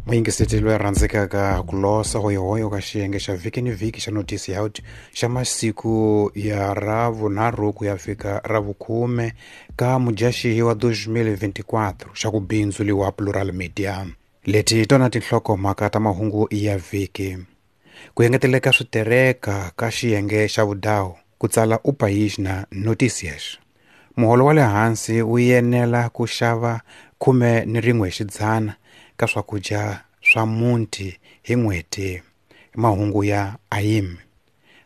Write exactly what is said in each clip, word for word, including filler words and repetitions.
Muyingiseti loyi a rhandzekaka ku losa hoyohoyo ka xiyenge xa vhiki ni vhiki xa Notice Out xa masiku ya ravunharhu ku ya fika ravukhume ka Mudyaxihi wa twenty twenty-four xa ku bindzuriwa Plural Media. Leti hi tona tinhlokomhaka ta mahungu ya vhiki. Ku engeteleka switereka ka xiyenge xa vudawu ku tsala O País na Notícias. Muholo wa le hansi wu yenela ku xava khume ni rin'we xidzana ka swakudya swa muti hi n'hweti. Mahungu ya A I M.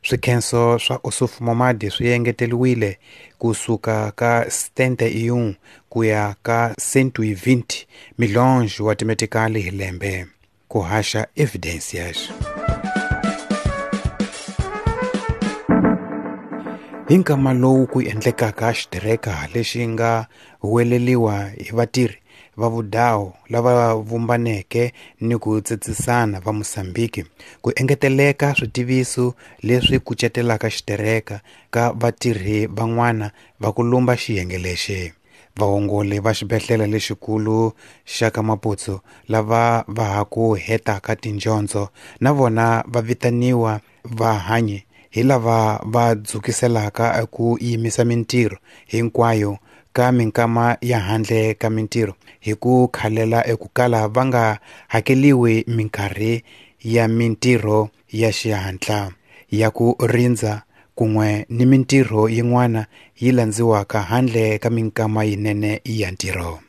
Swikhenso swa Ossufo Momade swi engeteriwile kusuka ka setenta e um ku ya ka cento e vinte milhões wa timetikali hi lembe. Ku haxa Evidências. Hi nkama lowu ku endlekaka xitereka lexi nga huweleliwa hi vatirhi va vudawu lava vumbaneke ni ku tsetsisana va Mozambique ku engeteleka switiviso leswi kucetelaka xitereka ka vatirhi van'wana va ku lumba xiyenge lexi. Vaongoli va xibedhlele lexikulu xa ka Maputo lava va ha ku hetaka tindyondzo na vona va vitaniwa vahanyi hi lava va dzukiselaka ku yimisa mintirho hinkwayo ka minkama ya handle ka mintirho hi ku khalela eku kala va nga hakeliwi minkarhi ya mintirho ya xihatla ya ku rindza kun'we ni mintirho yin'wana yi landziwaka handle ka minkama yinene ya ntirho.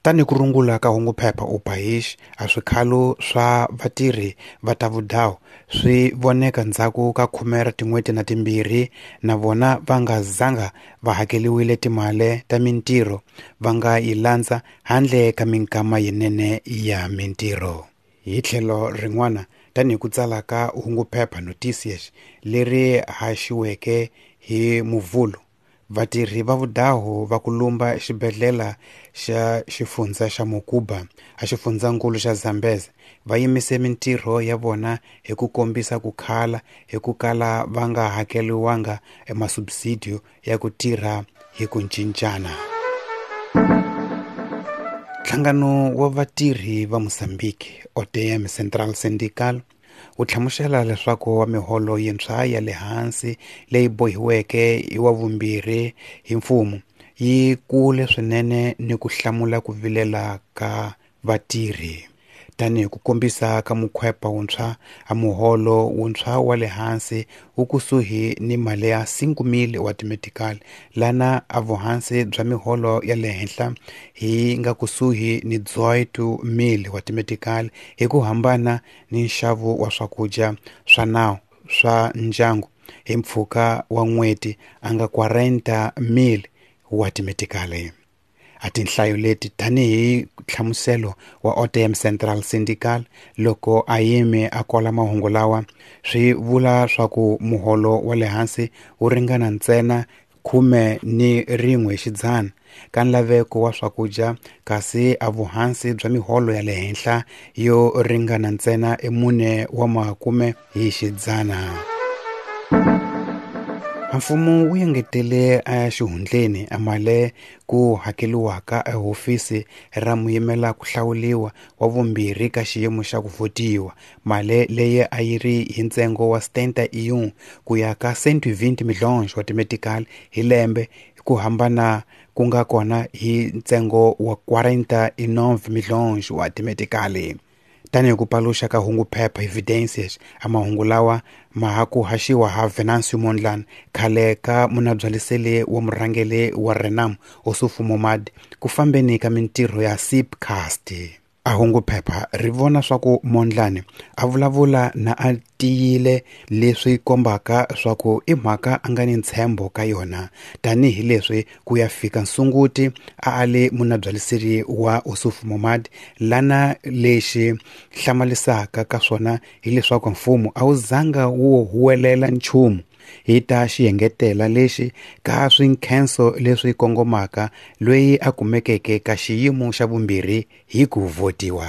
Tani ku rungula ka hunguphepha O País a swikhalo swa vatirhi va ta vudawu swi voneka ndzhaku ka khume ra tin'hweti na timbirhi na vona va nga zanga va hakeliwile timali ta mintirho va nga yi landza handle ka minkama yinene ya mintirho. Hi tlhelo rin'wana tanihi ku tsala ka hunguphepha Notícias leri haxiweke hi Muvhulu, vatirhi va vudawu va ku lumba xibedhlele xa xifundza xa Mocuba a xifundzankulu xa Zambezi va yimise mintirho ya vona hi ku kombisa ku khala hi ku kala va nga hakeliwanga emasubsidio ya ku tirha hi ku cincana. Nhlangano wa vatirhi va Mozambique O T M Central Syndical wu hlamusela leswaku wa miholo yintshwa ya le hansi leyi bohiweke hi wa vumbirhi hi mfumo yi kule swinene ni ku hlamula ku vilela ka vatirhi. Tanihi ku kombisa ka mukhwepa wuntshwa a muholo wuntshwa wa le hansi wu kusuhi ni mali ya cinco mil wa timetikali lana a vuhansi bya miholo ya le henhla hi nga kusuhi ni dezoito mil wa timetikali hi ku hambana ni nxavo wa swakudya swa nawu swa ndyangu hi mpfhuka wa n'hweti a nga quarenta mil wa timetikali. A tinhlayo leti tanihi nhlamuselo wa O T M Central Syndical loko a yime a kola mahungu lawa swi vula swa ku muholo wa le hansi wu ringana ntsena khume ni rin'we xidzana ka nlaveko wa swakudya kasi a vuhansi bya miholo ya le henhla yo ringana ntsena emune wa makume hi xidzana. Mfumo wu engetele exihundleni amale ku hakeliwaka ehofisi ra muyimela ku hlawuliwa wa vumbirhi ka xiyimo xa ku votiwa mali leyi a yi ri hi ntsengo wa setenta e um ku ya ka cento e vinte milhões wa timetikali hi lembe ku hambana ku nga kona hi ntsengo wa quarenta e nove milhões wa timetikali. Tanihi ku paluxa ka hunguphepha Evidências a mahungu lawa ma ha ku haxiwa ha Venâncio Mondlane khale ka munabyaliseli wa murhangeri wa Renamo Ossufo Momade ku fambeni ka mintirho ya SIPCAST. A hunguphepha ri vona swa ku Mondlane a vulavula na a tiyile leswi kombaka swa ku i mhaka a nga ni ntshembo ka yona tanihileswi ku ya fika nsunguti a a le munabyaliseri wa Ossufo Momade lana lexi hlamalisaka ka swona hileswaku mfumo a wu zanga wu huwelela nchumu hi ta xiengetela lexi ka swinkhenso leswi kongomaka loyi a kumekeke ka xiyimo xa vumbirhi hi ku votiwa.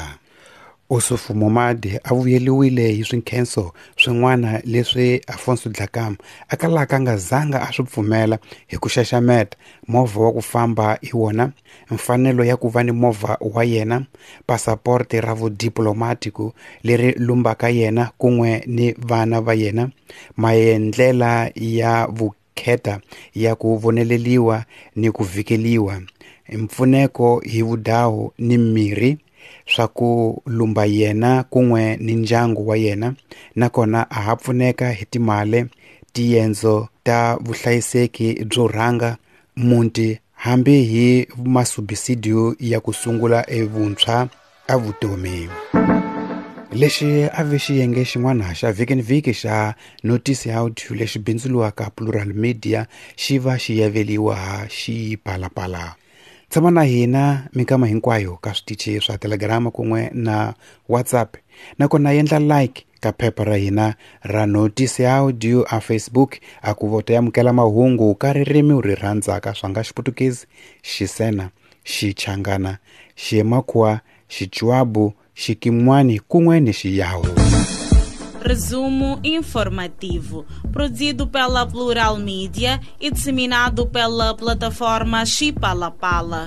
Ossufo Momade a vuyeliwile hi swinkhenso swin'wana leswi Afonso Dhlakama a kalaka a nga zanga a swi pfumela hi ku xaxameta movha wa ku famba hi wona, mfanelo ya ku va ni movha wa yena, pasaporte ra vudiplomatiko leri lumbaka yena kun'we ni vana va yena, maendlela ya vukheta ya ku voneleliwa ni ku vhikeliwa, mpfuneko hi vudawu ni mirhi swa ku lumba yena kun'we ni ndyangu wa yena, nakona a ha pfuneka hi timali, tiendzo ta vuhlayiseki byo rhanga muti hambi hi masubisidio ya ku sungula evuntshwa a vutomi. Lexi a ve xiyenge xin'wana xa vhiki ni vhiki xa Notice Audio lexi bindzuliwaka Plural Media xi va xi yaveliwa Xipalapala. Tshama na hina minkama hinkwayo ka switichi swa Telegram kun'we na WhatsApp, nakona endla like ka phepha ra hina ra Notice Audio a Facebook a ku vota amukela mahungu ka ririmi u ri rhandzaka swa nga Xiputukezi, Xisena, Xichangana, Ximakhuwa, Xichwabu, Xikin'wani kun'we ni Xiyawu. Resumo informativo, produzido pela Plural Media e disseminado pela plataforma Xipalapala.